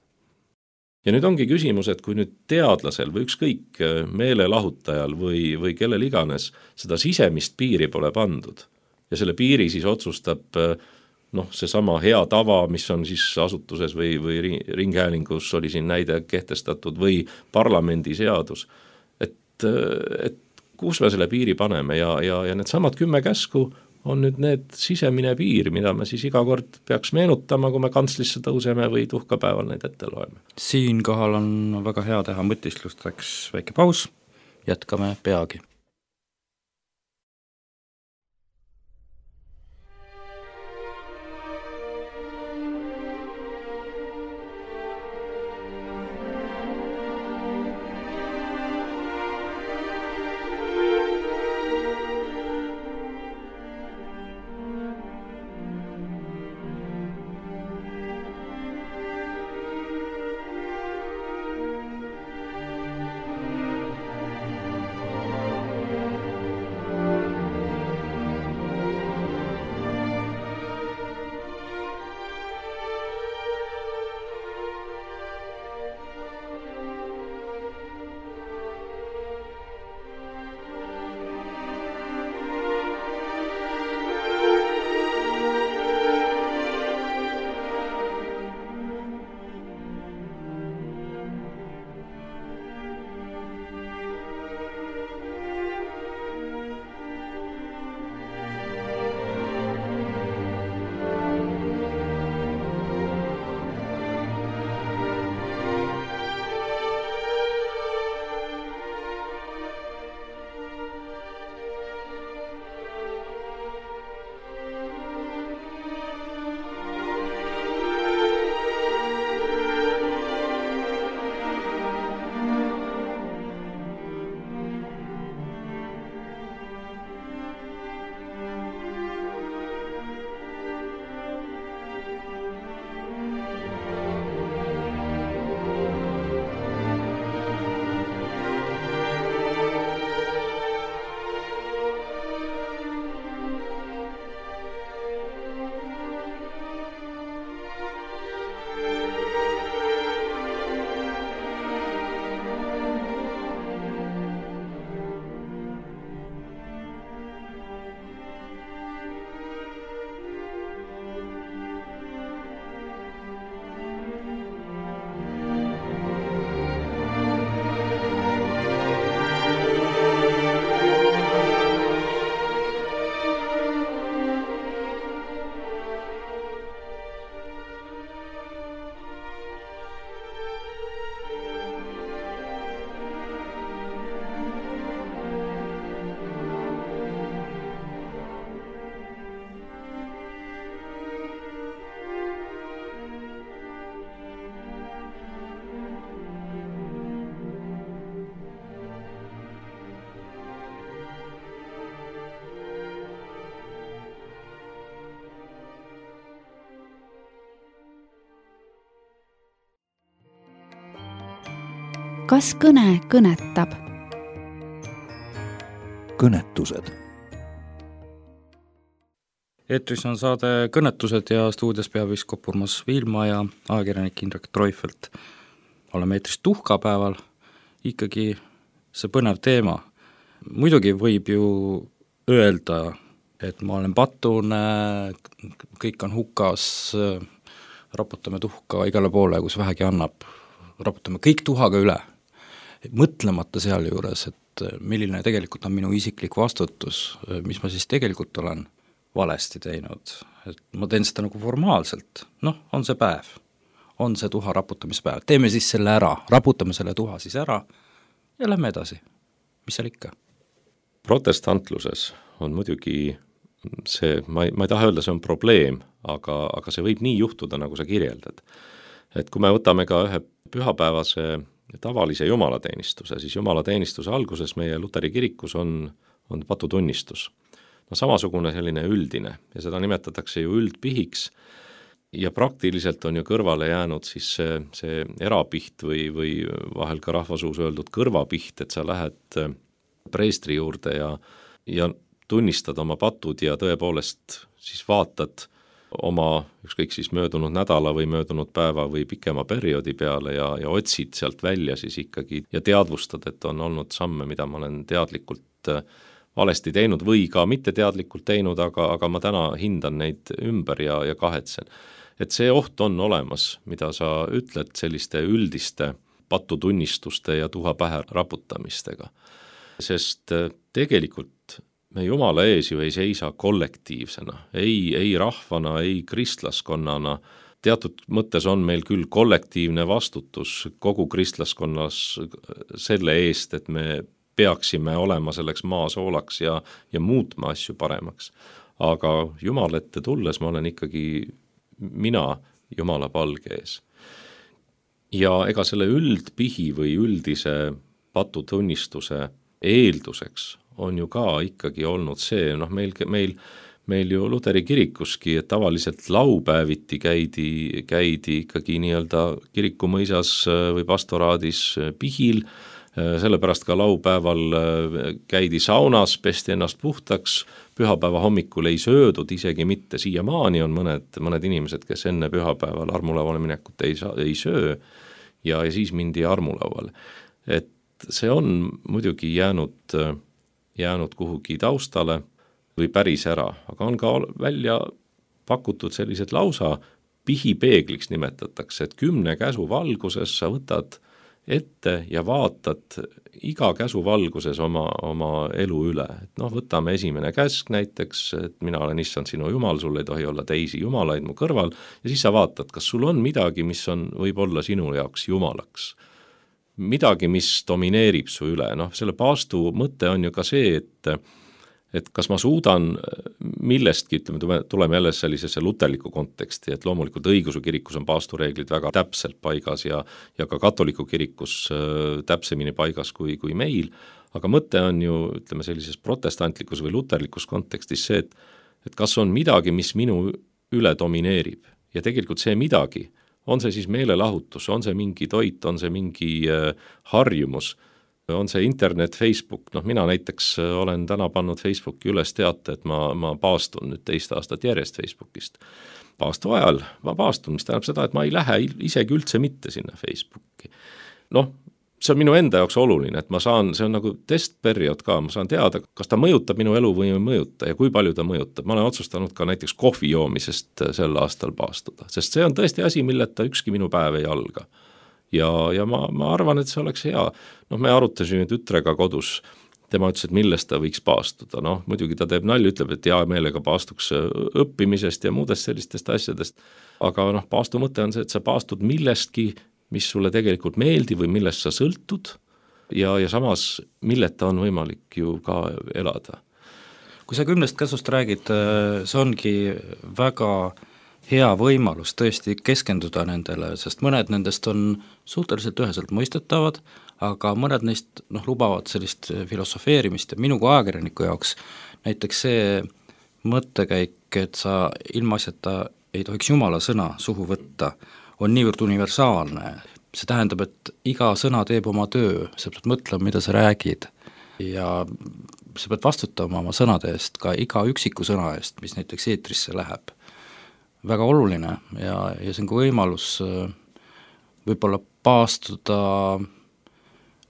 Ja nüüd ongi küsimus, et kui nüüd teadlasel või ükskõik meelelahutajal või kellel iganes seda sisemist piiri pole pandud ja selle piiri siis otsustab seesama hea tava, mis on siis asutuses või ringhäälingus oli siin näide kehtestatud või parlamendiseadus, et kus me selle piiri paneme ja need samad 10 käsku on nüüd need sisemine piir, mida me siis iga kord peaks meenutama, kui me kantslisse tõuseme või tuhkapäeval neid ette loeme. Siinkohal on väga hea teha mõtisklusteks väike paus, jätkame peagi. Kas kõne kõnetab? Kõnetused. Eetris on saade Kõnetused ja stuudios peapiiskop Urmas Viilma ja ajakirjanik Indrek Treufelt. Oleme eetris tuhkapäeval, ikkagi see põnev teema. Muidugi võib ju öelda, et ma olen patune, kõik on hukas, raputame tuhka igale poole, kus vähegi annab, raputame kõik tuhaga üle, mõtlemata seal juures, et milline tegelikult on minu isiklik vastutus, mis ma siis tegelikult olen valesti teinud, et ma teen seda nagu formaalselt, on see päev, on see tuha raputamispäev, teeme siis selle ära, raputame selle tuha siis ära ja lähme edasi, mis seal ikka. Protestantluses on muidugi see, ma ei taha öelda, see on probleem, aga see võib nii juhtuda, nagu sa kirjeldad. Et kui me võtame ka ühe pühapäevase tavalise jumalateenistuse, siis jumalateenistuse alguses meie Luteri kirikus on patutunnistus. No samasugune selline üldine ja seda nimetatakse ju üldpihiks ja praktiliselt on ju kõrvale jäänud siis see erapiht või vahel ka rahvasuus öeldud kõrvapiht, et sa lähed preestri juurde ja tunnistad oma patud ja tõepoolest siis vaatad oma ükskõik siis möödunud nädala või möödunud päeva või pikema perioodi peale ja otsid sealt välja siis ikkagi ja teadvustad, et on olnud samme, mida ma olen teadlikult valesti teinud või ka mitte teadlikult teinud, aga ma täna hindan neid ümber ja kahetsen. Et see oht on olemas, mida sa ütled selliste üldiste patutunnistuste ja tuha pähe raputamistega. Sest tegelikult me Jumala ees ju ei seisa kollektiivsena, ei rahvana, ei kristlaskonnana. Teatud mõttes on meil küll kollektiivne vastutus kogu kristlaskonnas selle eest, et me peaksime olema selleks maasoolaks ja muutma asju paremaks. Aga Jumala ette tulles ma olen ikkagi mina Jumala palge ees. Ja ega selle üldpihi või üldise patutunnistuse eelduseks on ju ka ikkagi olnud see, meil ju Luteri kirikuski, et tavaliselt laupäeviti käidi ikkagi nii-öelda kirikumõisas või pastoraadis pihil, sellepärast ka laupäeval käidi saunas, pesti ennast puhtaks, pühapäeva hommikul ei söödud, isegi mitte siiamaani on mõned inimesed, kes enne pühapäeval armulauale minekut ei söö ja siis mindi armulauale. Et see on muidugi jäänud kuhugi taustale või päris ära, aga on ka välja pakutud sellised lausa pihipeegliks nimetatakse, et 10 käsu valguses sa võtad ette ja vaatad iga käsu valguses oma elu üle. Et võtame esimene käsk näiteks, et mina olen issand sinu jumal, sul ei tohi olla teisi jumalaid mu kõrval ja siis sa vaatad, kas sul on midagi, mis võib olla sinu jaoks jumalaks. Midagi, mis domineerib su üle. Selle paastu mõte on ju ka see, et kas ma suudan millestki, tuleme jälle sellisesse luterliku konteksti, et loomulikult õigeusu kirikus on paastureeglid väga täpselt paigas ja ka katoliku kirikus täpsemini paigas kui meil, aga mõte on ju, ütleme sellises protestantlikus või luterlikus kontekstis see, et kas on midagi, mis minu üle domineerib ja tegelikult see midagi, on see siis meelelahutus, on see mingi toit, on see mingi harjumus, on see internet, Facebook, mina näiteks olen täna pannud Facebooki üles teate, et ma paastun nüüd 2 aastat järjest Facebookist. Paastu ajal ma paastun, mis tähendab seda, et ma ei lähe isegi üldse mitte sinna Facebooki. See on minu enda jaoks oluline, et ma saan, see on nagu testperiood ka, ma saan teada, kas ta mõjutab minu elu või ei mõjuta ja kui palju ta mõjutab. Ma olen otsustanud ka näiteks kohvi joomisest sel aastal paastuda, sest see on tõesti asi, milleta ükski minu päev ei alga. Ja ma arvan, et see oleks hea. Me arutasime tütrega kodus, tema ütles, et millest ta võiks paastuda. Muidugi ta teeb nalja, ütleb, et hea meelega paastuks õppimisest ja muudest sellistest asjadest. Aga paastu mõte on see, et sa paastud millestki, mis sulle tegelikult meeldib või millest sa sõltud ja samas milleta on võimalik ju ka elada. Kui sa 10 käsust räägid, see ongi väga hea võimalus tõesti keskenduda nendele, sest mõned nendest on suhteliselt üheselt mõistetavad, aga mõned neist lubavad sellist filosofeerimist ja minu kui ajakirjaniku jaoks näiteks see mõttekäik, et sa ilmaasjata ei tohiks Jumala sõna suhu võtta, on niivõrd universaalne. See tähendab, et iga sõna teeb oma töö, sa pead mõtlema, mida sa räägid ja sa pead vastutama oma sõnade eest, ka iga üksiku sõna eest, mis näiteks eetrisse läheb. Väga oluline ja see on ka võimalus võib-olla paastuda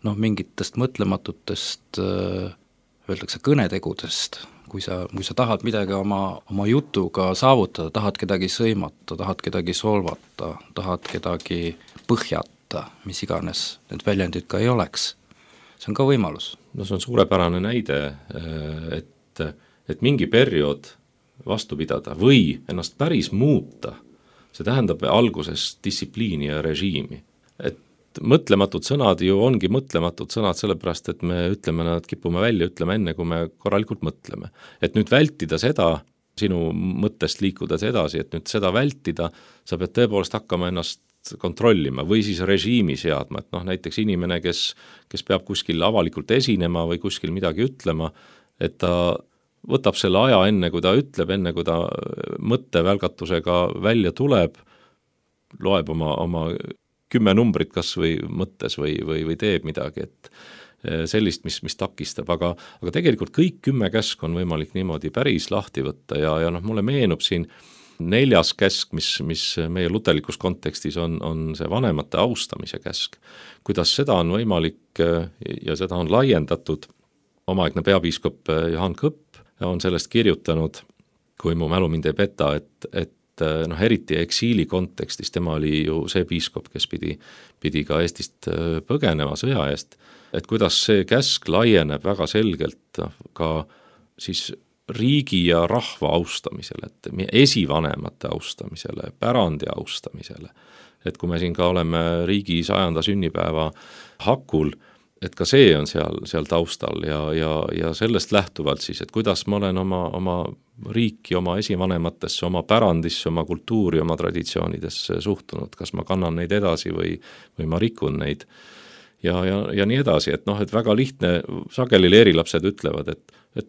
mingitest mõtlematutest, öeldakse kõnetegudest, kui sa tahad midagi oma jutuga saavutada, tahad kedagi sõimata, tahad kedagi solvata, tahad kedagi põhjata, mis iganes need väljendid ka ei oleks. See on ka võimalus. See on suurepärane näide, et mingi periood vastu pidada või ennast päris muuta, see tähendab alguses distsipliini ja režiimi. Et mõtlematud sõnad ju ongi mõtlematud sõnad sellepärast, et me ütleme nad, kipume välja ütlema enne, kui me korralikult mõtleme. Et nüüd vältida seda, sinu mõttest liikudes edasi, et nüüd seda vältida, sa pead tõepoolest hakkama ennast kontrollima või siis režiimi seadma, et näiteks inimene, kes peab kuskil avalikult esinema või kuskil midagi ütlema, et ta võtab selle aja enne, kui ta ütleb, enne kui ta mõttevälgatusega välja tuleb, loeb oma 10 numbrit kas või mõttes või teeb midagi, et sellist, mis takistab, aga tegelikult kõik 10 käsku on võimalik niimoodi päris lahti võtta ja mulle meenub siin 4. käsk, mis meie luterlikus kontekstis on see vanemate austamise käsk. Kuidas seda on võimalik ja seda on laiendatud, omaaegne peapiiskop Johann Kõpp on sellest kirjutanud, kui mu mälu mind ei peta, et eriti eksiili kontekstis, tema oli ju see piiskop, kes pidi ka Eestist põgenema sõja eest, et kuidas see käsk laieneb väga selgelt ka siis riigi ja rahva austamisele, et esivanemate austamisele, pärandi austamisele. Et kui me siin ka oleme riigi 100. sünnipäeva hakul, et ka see on seal taustal ja sellest lähtuvalt siis, et kuidas ma olen oma riiki, oma esivanematesse, oma pärandisse, oma kultuuri, oma traditsioonidesse suhtunud, kas ma kannan neid edasi või ma rikun neid ja nii edasi, et et väga lihtne, sageli leerilapsed ütlevad, et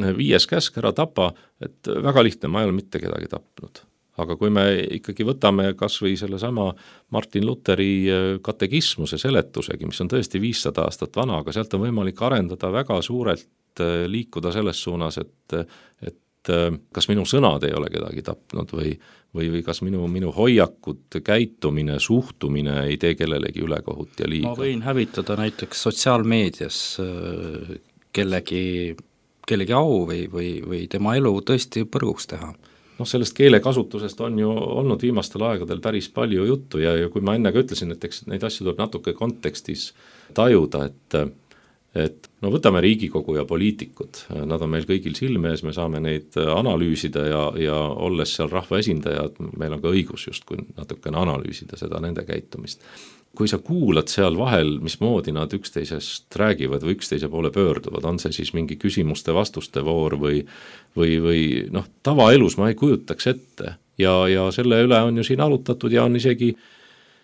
5. käsk ära tapa, et väga lihtne, ma ei ole mitte kedagi tapnud. Aga kui me ikkagi võtame kas või sellesama Martin Luteri katekismuse seletusegi, mis on tõesti 500 aastat vana, aga sealt on võimalik arendada väga suurelt liikuda selles suunas, et kas minu sõnad ei ole kedagi tapnud või kas minu hoiakud, käitumine, suhtumine ei tee kellelegi ülekohut ja liiga. Ma võin hävitada näiteks sotsiaalmeedias kellegi au või tema elu tõesti põrguks teha. Sellest keelekasutusest on ju olnud viimastel aegadel päris palju juttu ja kui ma enne ka ütlesin, et eks neid asju tuleb natuke kontekstis tajuda, et võtame Riigikogu ja poliitikud, nad on meil kõigil silme ees, me saame neid analüüsida ja olles seal rahvaesindajad, meil on ka õigus justkui natukene analüüsida seda nende käitumist. Kui sa kuulad seal vahel, mismoodi nad üksteisest räägivad või üksteise poole pöörduvad, on see siis mingi küsimuste-vastuste voor või tavaelus ma ei kujutaks ette ja selle üle on ju siin arutatud ja on isegi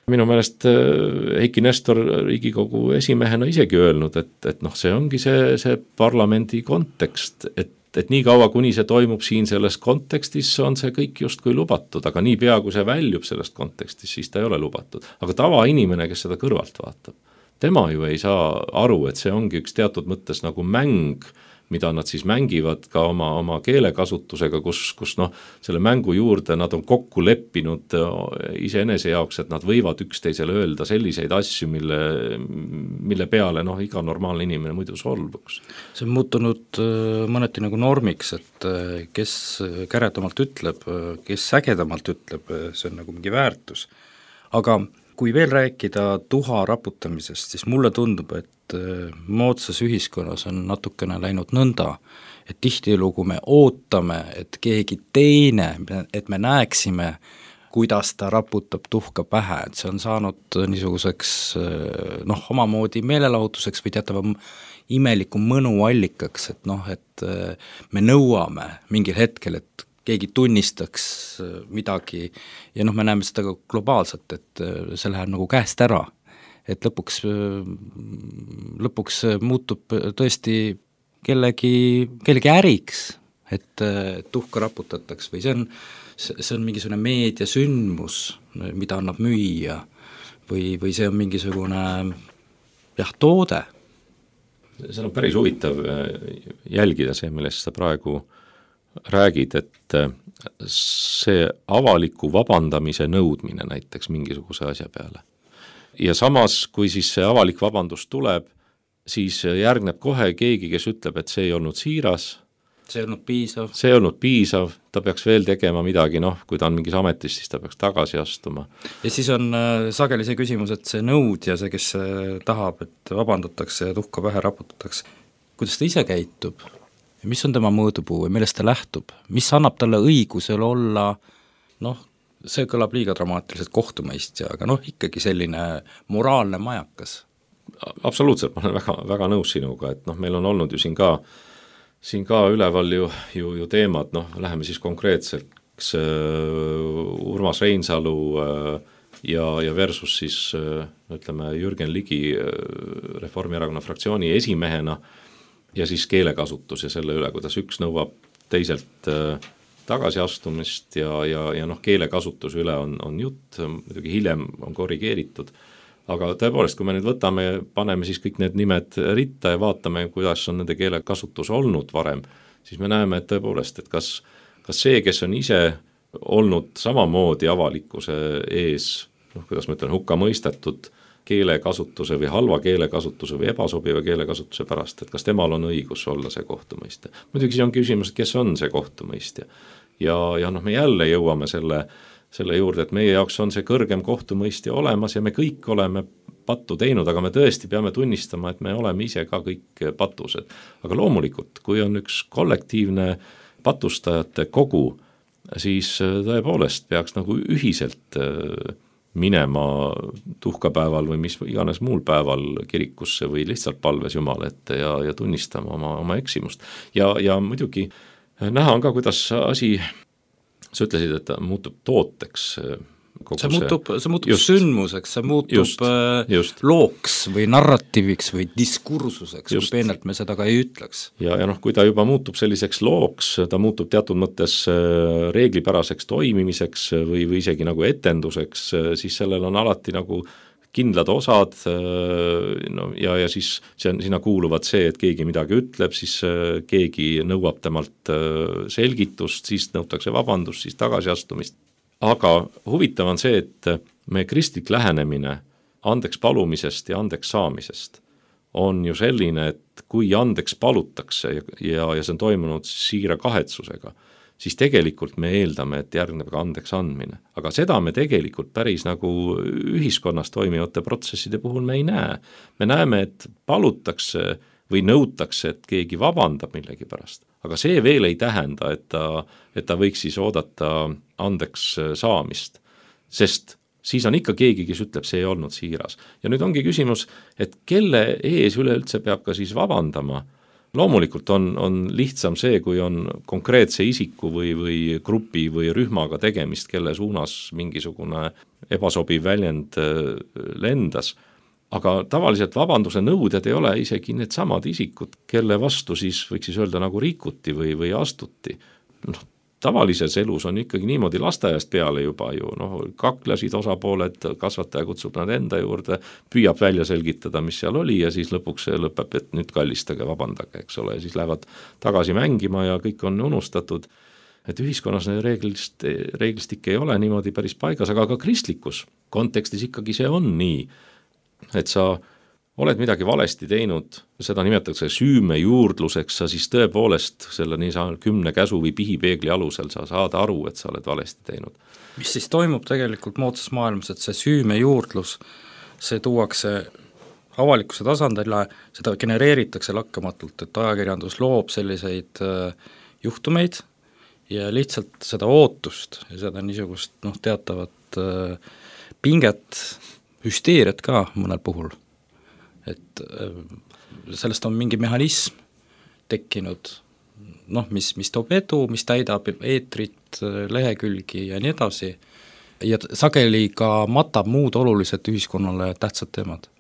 minu meelest Heiki Nestor Riigikogu esimehena isegi öelnud, et see ongi see parlamendi kontekst, et nii kaua, kuni see toimub siin selles kontekstis, on see kõik justkui lubatud, aga nii pea, kui see väljub sellest kontekstis, siis ta ei ole lubatud. Aga tavainimene, kes seda kõrvalt vaatab, tema ju ei saa aru, et see ongi üks teatud mõttes nagu mäng, mida nad siis mängivad ka oma keelekasutusega, kus selle mängu juurde nad on kokku leppinud iseenese jaoks, et nad võivad üksteisele öelda selliseid asju, mille peale iga normaalne inimene muidu solvuks. See on muutunud mõneti nagu normiks, et kes käredamalt ütleb, kes ägedamalt ütleb, see on nagu mingi väärtus. Aga kui veel rääkida tuha raputamisest, siis mulle tundub, et moodsas ühiskonnas on natukene läinud nõnda, et tihtilugu me ootame, et keegi teine, et me näeksime, kuidas ta raputab tuhka pähe, et see on saanud niisuguseks omamoodi meelelahutuseks või teatava imeliku mõnuallikaks, et me nõuame mingil hetkel, et keegi tunnistaks midagi ja me näeme seda ka globaalselt, et see läheb nagu käest ära, et lõpuks muutub tõesti kellegi äriks, et tuhka raputataks või see on mingisugune meediasündmus, mida annab müüa või see on mingisugune toode. See on päris huvitav jälgida see, millest sa praegu räägid, et see avaliku vabandamise nõudmine näiteks mingisuguse asja peale. Ja samas, kui siis see avalik vabandus tuleb, siis järgneb kohe keegi, kes ütleb, et see ei olnud siiras, see ei olnud piisav, ta peaks veel tegema midagi, kui ta on mingis ametis, siis ta peaks tagasi astuma. Ja siis on sageli see küsimus, et see nõudja, see, kes tahab, et vabandatakse ja tuhka pähe raputatakse, kuidas ta ise käitub? Mis on tema mõõdupuu või millest ta lähtub? Mis annab talle õigusel olla see kõlab liiga dramaatiliselt kohtumõistja, aga ikkagi selline moraalne majakas. Absoluutselt, ma olen väga, väga nõus sinuga, et meil on olnud ju siin ka üleval ju teemad, läheme siis konkreetseks Urmas Reinsalu ja versus siis ütleme Jürgen Ligi Reformierakonna fraktsiooni esimehena ja siis keelekasutus ja selle üle, kuidas üks nõuab teiselt tagasiastumist ja keelekasutuse üle on jutt, muidugi hiljem on korrigeeritud, aga tõepoolest, kui me nüüd paneme siis kõik need nimed ritta ja vaatame, kuidas on nende keelekasutus olnud varem, siis me näeme, et tõepoolest, et kas see, kes on ise olnud samamoodi avalikkuse ees, kuidas ma ütlen, hukka mõistetud keelekasutuse või halva keelekasutuse või ebasobiva keelekasutuse pärast, et kas temal on õigus olla see kohtumõistja. Muidugi see on küsimus, et kes on see kohtumõistja. Ja me jälle jõuame selle juurde, et meie jaoks on see kõrgem kohtumõistja olemas ja me kõik oleme pattu teinud, aga me tõesti peame tunnistama, et me oleme ise ka kõik patused. Aga loomulikult, kui on üks kollektiivne patustajate kogu, siis tõepoolest peaks ühiselt minema tuhkapäeval või mis iganes muul päeval kirikusse või lihtsalt palves Jumala ette ja tunnistama oma eksimust. Ja muidugi näha on ka, kuidas asi, sa ütlesid, et ta muutub tooteks. See muutub sündmuseks, see muutub looks või narratiiviks või diskursuseks, kui peenelt me seda ka ei ütleks. Ja kui ta juba muutub selliseks looks, ta muutub teatud mõttes reeglipäraseks toimimiseks või isegi etenduseks, siis sellel on alati kindlad osad ja siis sinna kuuluvad see, et keegi midagi ütleb, siis keegi nõuab temalt selgitust, siis nõutakse vabandust, siis tagasiastumist. Aga huvitav on see, et meie kristlik lähenemine andeks palumisest ja andeks saamisest on ju selline, et kui andeks palutakse ja see on toimunud siira kahetsusega, siis tegelikult me eeldame, et järgneb ka andeks andmine. Aga seda me tegelikult päris ühiskonnas toimivate protsesside puhul me ei näe. Me näeme, et palutakse või nõutakse, et keegi vabandab millegi pärast. Aga see veel ei tähenda, et ta võiks siis oodata andeks saamist, sest siis on ikka keegi, kes ütleb, see ei olnud siiras. Ja nüüd ongi küsimus, et kelle ees üleüldse peab ka siis vabandama. Loomulikult on lihtsam see, kui on konkreetse isiku või grupi või rühmaga tegemist, kelle suunas mingisugune ebasobiv väljend lendas. Aga tavaliselt vabanduse nõuded ei ole isegi need samad isikud, kelle vastu siis võiks siis öelda rikuti või astuti. Tavalises elus on ikkagi niimoodi lasteaiast peale juba ju, kaklesid osapooled, kasvataja kutsub nad enda juurde, püüab välja selgitada, mis seal oli ja siis lõpuks see lõpeb, et nüüd kallistage, vabandage, eks ole, ja siis lähevad tagasi mängima ja kõik on unustatud. Et ühiskonnas reeglistik ei ole niimoodi päris paigas, aga ka kristlikus kontekstis ikkagi see on nii, et sa oled midagi valesti teinud, seda nimetatakse süümejuurdluseks, sa siis tõepoolest selle 10 käsu või pihipeegli alusel sa saad aru, et sa oled valesti teinud. Mis siis toimub tegelikult moodsas maailmas, et see süümejuurdlus, see tuuakse avalikkuse tasandile, seda genereeritakse lakkamatult, et ajakirjandus loob selliseid juhtumeid ja lihtsalt seda ootust ja seda niisugust teatavat pinget, hüsteeriat ka mõnel puhul, et sellest on mingi mehhanism tekkinud, mis toob edu, mis täidab eetrit, lehekülgi ja nii edasi ja sageli ka matab muud olulised ühiskonnale tähtsad teemad.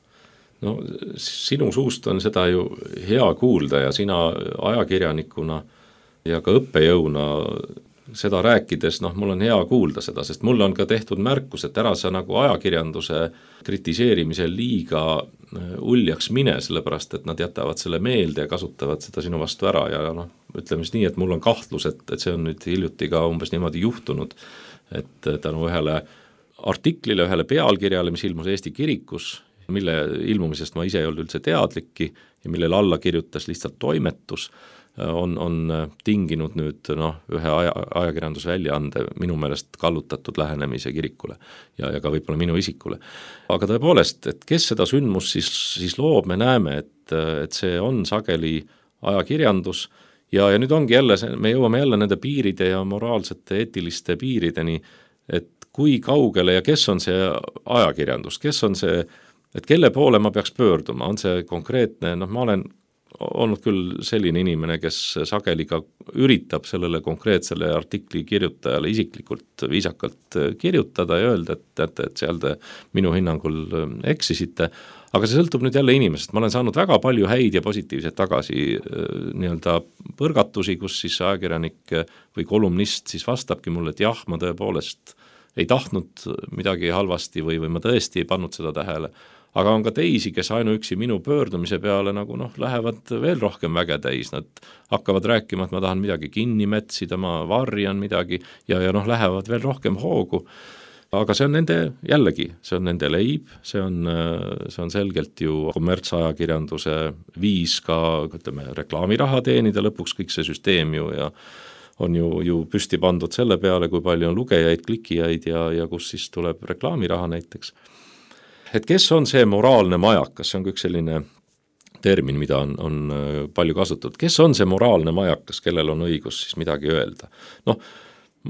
Sinu suust on seda ju hea kuulda ja sina ajakirjanikuna ja ka õppejõuna seda rääkides, mul on hea kuulda seda, sest mul on ka tehtud märkus, et ära sa ajakirjanduse kritiseerimisel liiga uljaks mine, sellepärast, et nad jätavad selle meelde ja kasutavad seda sinu vastu ära ja ütleme siis nii, et mul on kahtlus, et see on nüüd hiljuti ka umbes niimoodi juhtunud, et tänu ühele artiklile, ühele pealkirjale, mis ilmus Eesti kirikus, mille ilmumisest ma ise ei olnud üldse teadlikki ja millele alla kirjutas lihtsalt toimetus, on tinginud nüüd ühe ajakirjandusväljaande minu meelest kallutatud lähenemise kirikule ja ka võib-olla minu isikule. Aga tõepoolest, et kes seda sündmust siis loob, me näeme, et see on sageli ajakirjandus ja nüüd ongi jälle, me jõuame jälle nende piiride ja moraalsete eetiliste piirideni, et kui kaugele ja kes on see ajakirjandus, kes on see, et kelle poole ma peaks pöörduma, on see konkreetne, ma olen olnud küll selline inimene, kes sageli ka üritab sellele konkreetsele artikli kirjutajale isiklikult viisakalt kirjutada ja öelda, et seal te minu hinnangul eksisite, aga see sõltub nüüd jälle inimesest. Ma olen saanud väga palju häid ja positiivseid tagasi nii-öelda põrgatusi, kus siis ajakirjanik või kolumnist siis vastabki mulle, et jah, ma tõepoolest ei tahtnud midagi halvasti või ma tõesti ei pannud seda tähele. Aga on ka teisi, kes ainuüksi minu pöördumise peale nagu lähevad veel rohkem väge täis, nad hakkavad rääkima, et ma tahan midagi kinni metsida, ma varjan midagi ja lähevad veel rohkem hoogu. Aga see on nende, jällegi, see on nende leib, see on selgelt ju kommertsajakirjanduse viis ka, ütleme, reklaamiraha teenida lõpuks kõik see süsteem ju ja on ju püsti pandud selle peale, kui palju on lugejaid, klikijaid ja kus siis tuleb reklaamiraha näiteks. Et kes on see moraalne majakas, see on üks selline termin, mida on palju kasutatud. Kes on see moraalne majakas, kellel on õigus siis midagi öelda?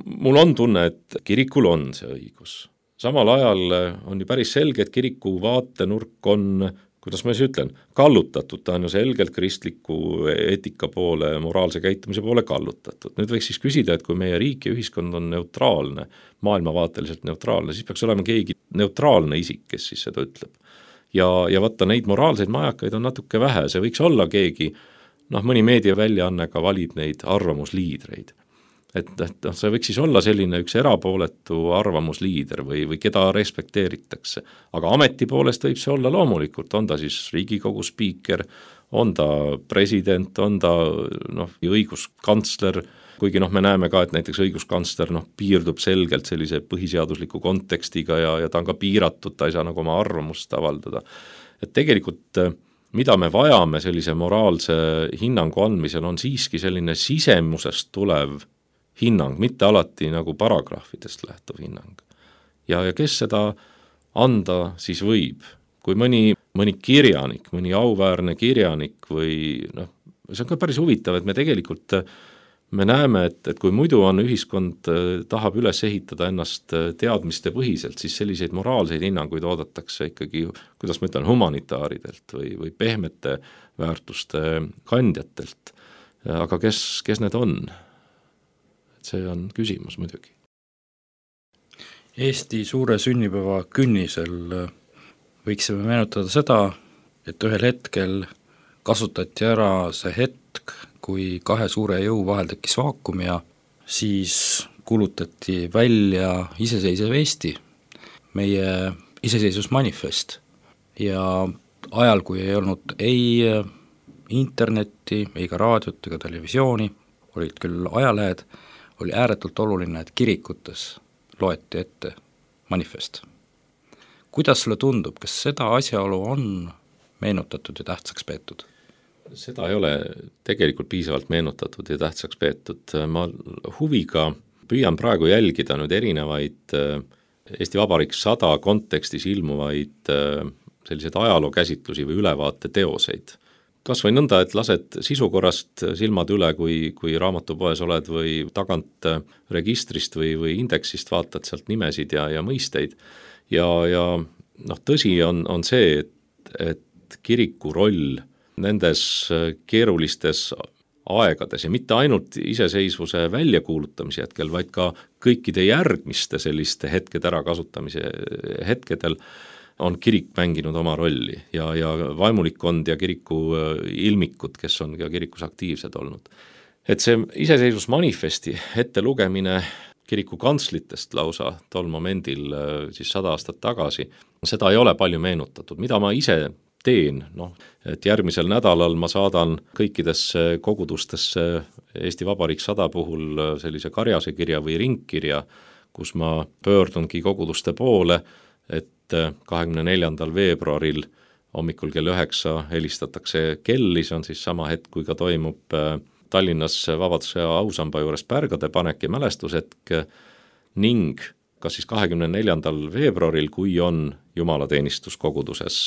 Mul on tunne, et kirikul on see õigus. Samal ajal on ju päris selge, et kiriku vaatenurk on, kuidas ma siis ütlen, kallutatud, ta on ju selgelt kristliku eetika poole, moraalse käitumise poole kallutatud. Nüüd võiks siis küsida, et kui meie riik ja ühiskond on neutraalne, maailmavaateliselt neutraalne, siis peaks olema keegi neutraalne isik, kes siis seda ütleb. Ja vaata, neid moraalseid majakaid on natuke vähe, see võiks olla keegi, mõni meediaväljaanne ka valib neid arvamusliidreid. Et see võiks siis olla selline üks erapooletu arvamusliider või keda respekteeritakse. Aga ameti poolest võib see olla loomulikult, on ta siis Riigikogu spiiker, on ta president, on ta õiguskantsler, kuigi me näeme ka, et näiteks õiguskantsler piirdub selgelt sellise põhiseadusliku kontekstiga ja ta on ka piiratud, ta ei saa nagu oma arvamust avaldada. Et tegelikult mida me vajame sellise moraalse hinnangu andmisel on siiski selline sisemusest tulev hinnang, mitte alati nagu paragrahvidest lähtuv hinnang. Ja kes seda anda siis võib? Kui mõni kirjanik, mõni auväärne kirjanik või see on ka päris huvitav, et me tegelikult me näeme, et kui muidu on ühiskond tahab üles ehitada ennast teadmiste põhiselt, siis selliseid moraalseid hinnanguid oodatakse ikkagi, kuidas ma ütlen, humanitaaridelt või pehmete väärtuste kandjatelt. Aga kes need on? See on küsimus muidugi. Eesti suure sünnipäeva künnisel võiksime meenutada seda, et ühel hetkel kasutati ära see hetk, kui kahe suure jõu vahel tekkis vaakum ja siis kuulutati välja iseseisev Eesti, meie iseseisvusmanifest. Ja ajal, kui ei olnud ei internetti, ei ka raadiot ega televisiooni, olid küll ajalehed, oli ääretult oluline, et kirikutes loeti ette manifest. Kuidas sulle tundub, kas seda asjaolu on meenutatud ja tähtsaks peetud? Seda ei ole tegelikult piisavalt meenutatud ja tähtsaks peetud. Ma huviga püüan praegu jälgida nüüd erinevaid Eesti Vabariik 100 kontekstis ilmuvaid selliseid ajalookäsitlusi või ülevaate teoseid. Kas või nõnda, et lased sisukorrast silmad üle, kui raamatupoes oled või tagant registrist või indeksist vaatad sealt nimesid ja mõisteid. Ja tõsi on see, et kiriku roll nendes keerulistes aegades ja mitte ainult iseseisvuse väljakuulutamise hetkel, vaid ka kõikide järgmiste selliste hetkede ärakasutamise hetkedel on kirik mänginud oma rolli ja vaimulikkond ja kiriku ilmikud, kes on ka kirikus aktiivsed olnud. Et see iseseisvusmanifesti ette lugemine kiriku kantslitest lausa tol momendil siis 100 aastat tagasi, seda ei ole palju meenutatud, mida ma ise teen, et järgmisel nädalal ma saadan kõikidesse kogudustesse Eesti Vabariik 100 puhul sellise karjase kirja või ringkirja, kus ma pöördungi koguduste poole, et 24. veebruaril hommikul kell 9 helistatakse kelli, see on siis sama hetk, kui ka toimub Tallinnas Vabaduse ausamba juures pärgade panek ja mälestushetk ning kas siis 24. veebruaril, kui on jumalateenistus koguduses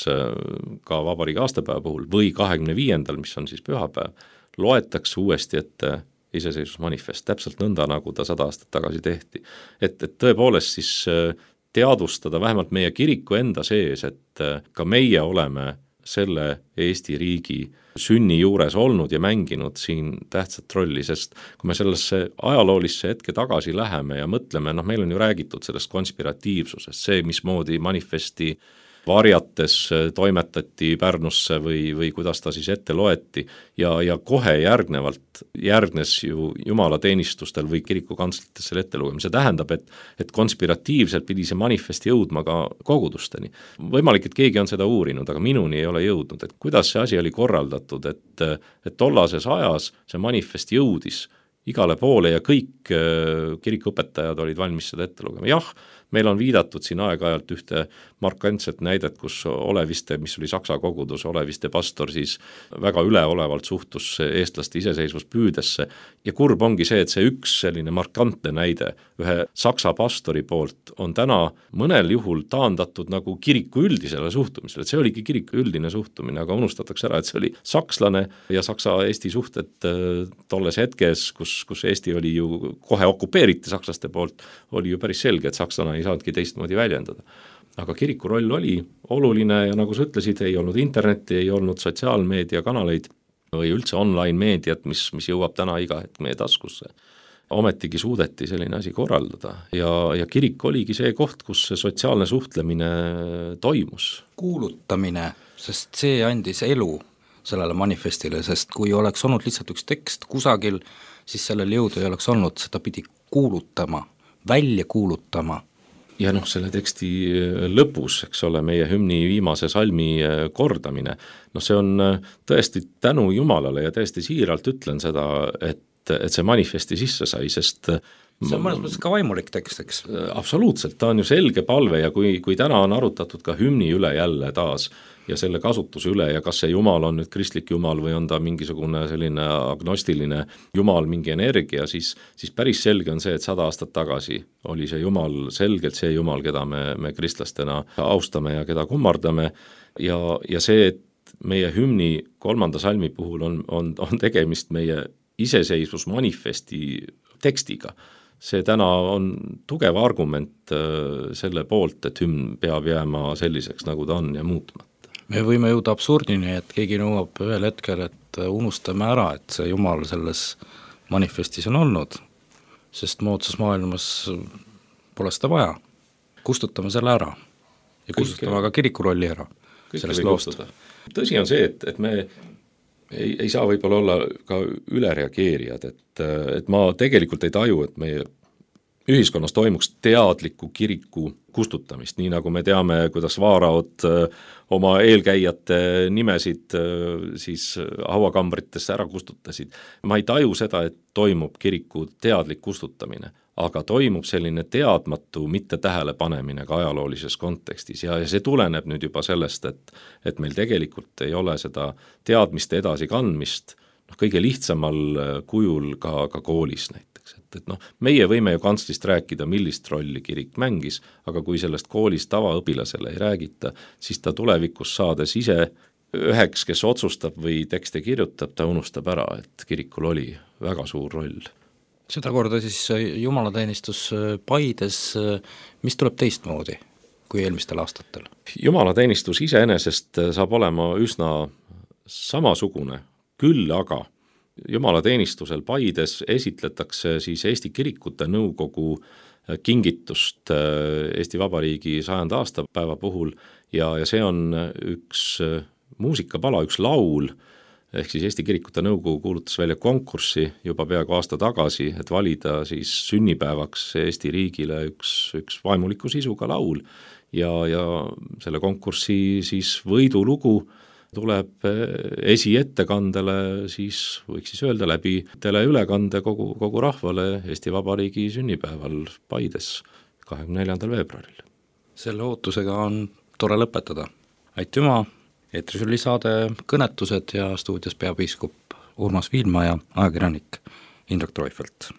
ka vabariigi aastapäeva puhul või 25. mis on siis pühapäev, loetakse uuesti ette iseseisvusmanifest, täpselt nõnda, nagu ta 100 aastat tagasi tehti. Et tõepoolest siis teadvustada vähemalt meie kiriku enda sees, et ka meie oleme selle Eesti riigi sünni juures olnud ja mänginud siin tähtsat rolli, sest kui me sellesse ajaloolisse hetke tagasi läheme ja mõtleme, meil on ju räägitud sellest konspiratiivsusest, see, mismoodi manifesti varjates toimetati Pärnusse või kuidas ta siis ette loeti ja kohe järgnes ju jumalateenistustel või kirikukantslites selle ette lugema. See tähendab, et konspiratiivselt pidi see manifest jõudma ka kogudusteni. Võimalik, et keegi on seda uurinud, aga minuni ei ole jõudnud, et kuidas see asi oli korraldatud, et tollases ajas see manifest jõudis igale poole ja kõik kirikuõpetajad olid valmis seda ette lugema. Jah, meil on viidatud siin aeg-ajalt ühte markantset näidet, kus Oleviste, mis oli Saksa kogudus, Oleviste pastor siis väga üleolevalt suhtus eestlaste iseseisvuspüüdesse ja kurb ongi see, et see üks selline markantne näide ühe Saksa pastori poolt on täna mõnel juhul taandatud nagu kiriku üldisele suhtumisele, et see oligi kiriku üldine suhtumine, aga unustatakse ära, et see oli sakslane ja Saksa-Eesti suhted tolles hetkes, kus Eesti oli ju kohe okupeeriti sakslaste poolt, oli ju päris selge, et sakslane ei saanudki teistmoodi väljendada. Aga kiriku roll oli oluline ja nagu sa ütlesid, ei olnud internetti, ei olnud sotsiaalmeediakanaleid või üldse online meediat, mis jõuab täna iga hetk meie taskusse. Ometigi suudeti selline asi korraldada ja kirik oligi see koht, kus see sotsiaalne suhtlemine toimus. Kuulutamine, sest see andis elu sellele manifestile, sest kui oleks olnud lihtsalt üks tekst kusagil, siis sellel jõudu ei oleks olnud, seda pidi kuulutama, välja kuulutama. Ja selle teksti lõpus, eks ole, meie hümni viimase salmi kordamine, see on tõesti tänu Jumalale ja tõesti siiralt ütlen seda, et see manifesti sisse sai, sest see on mõnes mõttes ka vaimulik tekst, eks? Absoluutselt, ta on ju selge palve ja kui täna on arutatud ka hümni üle jälle taas ja selle kasutuse üle ja kas see Jumal on nüüd kristlik Jumal või on ta mingisugune selline agnostiline Jumal, mingi energia, siis päris selge on see, et 100 aastat tagasi oli see Jumal selgelt see Jumal, keda me kristlastena austame ja keda kummardame ja see, et meie hümni 3. salmi puhul on tegemist meie iseseisvusmanifesti tekstiga. See täna on tugev argument selle poolt, et hümn peab jääma selliseks, nagu ta on ja muutmata. Me võime jõuda absurdini, et keegi nõuab ühel hetkel, et unustame ära, et see Jumal selles manifestis on olnud, sest moodsas maailmas pole seda vaja. Kustutame selle ära ja kustutame ka kiriku rolli ära sellest loost. Tõsi on see, et me ei saa võib-olla olla ka ülereageerijad, et ma tegelikult ei taju, et meie ühiskonnas toimuks teadliku kiriku kustutamist, nii nagu me teame, kuidas vaaraod oma eelkäijate nimesid siis hauakambritesse ära kustutasid. Ma ei taju seda, et toimub kiriku teadlik kustutamine, aga toimub selline teadmatu mitte tähelepanemine ka ajaloolises kontekstis ja see tuleneb nüüd juba sellest, et meil tegelikult ei ole seda teadmiste edasikandmist kõige lihtsamal kujul ka koolis näiteks, et meie võime ju kantslist rääkida, millist rolli kirik mängis, aga kui sellest koolis tavaõpilasele ei räägita, siis ta tulevikus saades ise üheks, kes otsustab või tekste kirjutab, ta unustab ära, et kirikul oli väga suur roll. Sedakorda siis jumalateenistus Paides, mis tuleb teistmoodi kui eelmistel aastatel? Jumalateenistus iseenesest saab olema üsna samasugune, küll aga jumalateenistusel Paides esitletakse siis Eesti Kirikute Nõukogu kingitust Eesti Vabariigi 100. aastapäeva puhul ja see on üks muusikapala, üks laul, ehk siis Eesti Kirikute Nõukogu kuulutas välja konkurssi juba peaaegu aasta tagasi, et valida siis sünnipäevaks Eesti riigile üks vaimuliku sisuga laul ja selle konkursi siis võidulugu tuleb esiettekandele siis võiks siis öelda läbi teleülekande kogu rahvale Eesti Vabariigi sünnipäeval Paides 24. veebruaril. Selle ootusega on tore lõpetada. Aitüma, eetris oli saade Kõnetused ja stuudios peapiiskop Urmas Viilma ja ajakirjanik Indrek Treufelt.